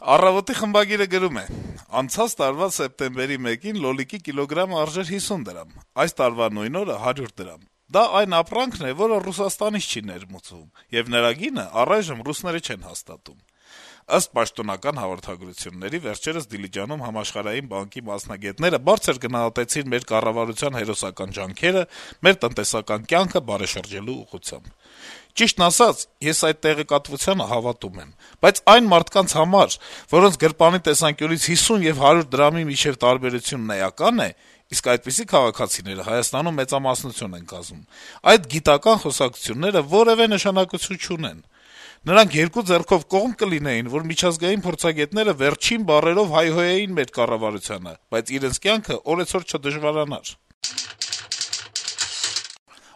Առավոտի խմբագիրը գրում է. - «Անցած տարվա սեպտեմբերի 1-ին լոլիկի կիլոգրամը արժեր 50 դրամ, այս տարվա նույն օրը 100 դրամ: Դա այն ապրանքն է, որը Ռուսաստանից չի ներմուծվում, եւ նրա գինը առայժմ ռուսները չեն հաստատում»: Ըստ պաշտոնական հաղորդագրությունների, վերջերս Դիլիջանում Համաշխարհային բանկի մասնագետները բարձր գնահատեցին մեր կառավարության հերոսական ջանքերը մեր տնտեսական կյանքը բարեշրջելու ուղղությամբ: Ճիշտն ասած, ես այդ տեղեկատվությանը հավատում եմ, բայց այն մարդկանց համար, որոնց գրպանի տեսանկյունից 50 եւ 100 դրամի միջեւ տարբերությունն էական է, իսկ այդպիսի քաղաքացիները Հայաստանում մեծամասնություն են կազմում, այդ գիտական խոսակցությունները որեւէ նշանակություն չունեն: Նրանք երկու ձեռքով կողմ կլինեին, որ միջազգային փորձագետները վերջին բառերով հայհոյեին մեր կառավարությանը, բայց իրենց կյանքը օրեցօր չդժվարանար»: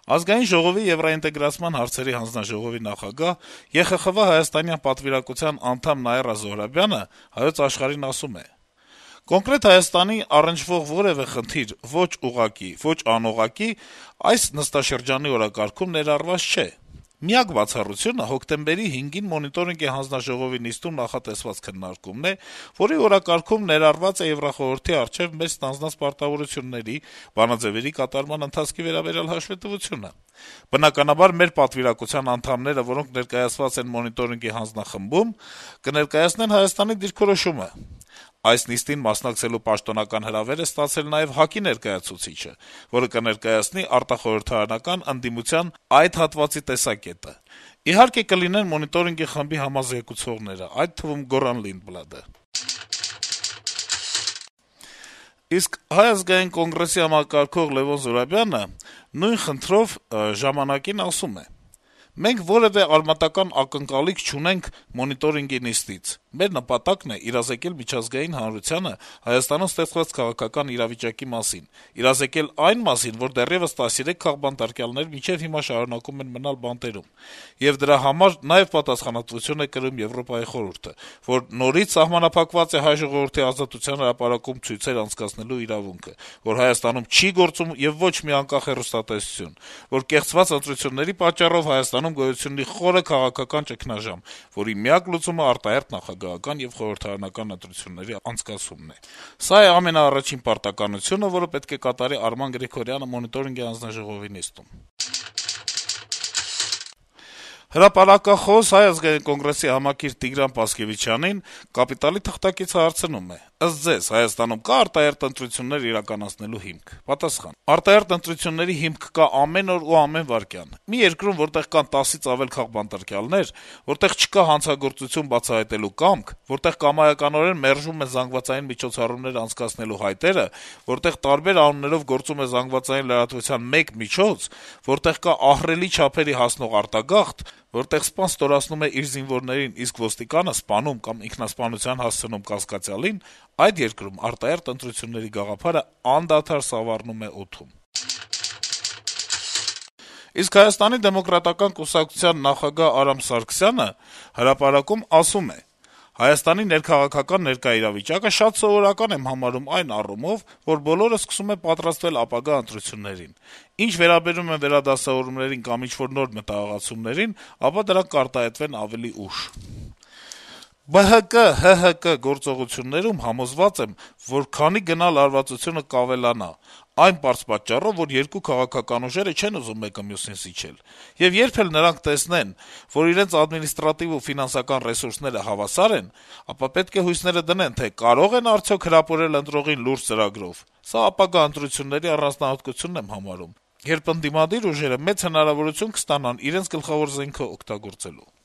Ազգային ժողովի եվրաինտեգրացման հարցերի հանձնաժողովի նախագահ, ԵԽԽՎ հայաստանյան պատվիրակության անդամ Նաիրա Զոհրաբյանը «Հայոց Աշխարհ»-ին ասում է. - «Կոնկրետ Հայաստանի առնչվող որեւէ խնդիր ոչ ուղղակի, ոչ անուղղակի այս նստաշրջանի օրակարգում ներառված չէ: Միակ բացառությունը հոկտեմբերի 5-ին Մոնիտորինգի հանձնաժողովի նիստում նախատեսված քննարկումն է, որի օրակարգում ներառված է Եվրախորհրդի առջեւ մեզ ստանձնած պարտավորությունների, բանաձեւերի կատարման ընթացքի վերաբերյալ հաշվետվությունը: Բնականաբար, մեր պատվիրակության անդամները, որոնք ներկայացված են Մոնիտորինգի հանձնախմբում, կներկայացնեն Հայաստանի դիրքորոշումը: Այս նիստին մասնակցելու պաշտոնական հրավեր է ստացել նաեւ ՀԱԿ-ի ներկայացուցիչը, որը կներկայացնի արտախորհրդարանական ընդդիմության այդ հատվածի տեսակետը: Իհարկե, կլինեն Մոնիտորինգի խմբի համազեկուցողները, այդ թվում Գոռան Լինդբլադը»: Իսկ Հայ ազգային կոնգրեսի համակարգող Լեւոն Զուրաբյանը նույն խնդրով «Ժամանակ»-ին ասում է. - «Մենք որեւէ արմատական ակնկալիք չունենք Մոնիտորինգի նիստից: Մեր նպատակն է իրազեկել միջազգային հանրությանը Հայաստանում ստեղծված քաղաքական իրավիճակի մասին, իրազեկել այն մասին, որ դեռեւս 13 քաղբանտարկյալներ մինչեւ հիմա շարունակում են մնալ բանտերում: Եվ դրա համար նաեւ պատասխանատվություն է կրում Եվրոպայի խորհուրդը, որ նորից սահմանափակված է հայ ժողովրդի ազատության հրապարակում ցույցեր անցկացնելու իրավունքը, որ Հայաստանում չի գործում եւ ոչ մի անկախ հեռուստատեսություն, որ կեղծված ընտրությունների պատճառով Հայաստանում գոյություն ունի խորը քաղաքական ճգնաժամ, որի միակ լուծումը արտահերթ նախագահական եւ խորհրդարանական ընտրությունների անցկացումն է: Սա է ամենաառաջին պարտականությունը, որը պետք է կատարի Արման Գրիգորյանը Մոնիտորինգի հանձնաժողովի նիստում»: Հրապարակախոս, Հայ ազգային կոնգրեսի համակիր Տիգրան Պասկեւիչյանին «Կապիտալ»-ի թղթակիցը հարցնում է. - «Ըստ Ձեզ, Հայաստանում կա՞ արտահերթ ընտրություններ իրականացնելու հիմք»: Պատասխան. - «Արտահերթ ընտրությունների հիմք կա ամեն օր ու ամեն վայրկյան: Մի երկրում, որտեղ կան 10-ից ավել քաղբանտարկյալներ, որտեղ չկա հանցագործություն բացահայտելու կամք, որտեղ կամայականորեն մերժում են ԶՄ անցկացնելու հայտերը, որտեղ տարբեր անուններով գործում է ԶԼՄ մեկ միջոց, որտեղ կա ահռելի չափերի հասնող արտագաղթ, որտեղ սպան ստորացնում է իր զինվորներին, իսկ ոստիկանը սպանում կամ ինքնասպանության հասցնում կասկածյալին, այդ երկրում արտահերթ ընտրությունների գաղափարը անդադար սավառնում է օդում»: Իսկ Հայաստանի դեմոկրատական կուսակցության նախագահ Արամ Սարգսյանը «Հրապարակ»-ում ասում է. - «Հայաստանի ներքաղաքական ներկա իրավիճակը շատ սովորական եմ համարում այն առումով, որ բոլորը սկսում են պատրաստվել ապագա ընտրություններին: Ինչ վերաբերում է վերադասավորումներին կամ ինչ-որ նոր մտահղացումներին, ապա դրանք կարտահայտվեն ավելի ուշ: ԲՀԿ, ՀՀԿ գործողություններում համոզված եմ, որ քանի գնա լարվածությունը կավելանա, այն պարզ պատճառով, որ երկու քաղաքական ուժերը չեն ուզում մեկը մյուսին զիջել: Եվ երբ էլ նրանք տեսնեն, որ իրենց ադմինիստրատիվ ու ֆինանսական ռեսուրսները հավասար են, ապա պետք է հույսները դնեն, թե կարո՞ղ են արդյոք հրապուրել ընտրողին լուրջ ծրագրով: Սա ապագա ընտրությունների առանձնահատկությունն եմ համարում, երբ ընդդիմադիր ուժերը մեծ հնարավորություն կստանան իրենց գլխավոր զենքը օգտագործելու»: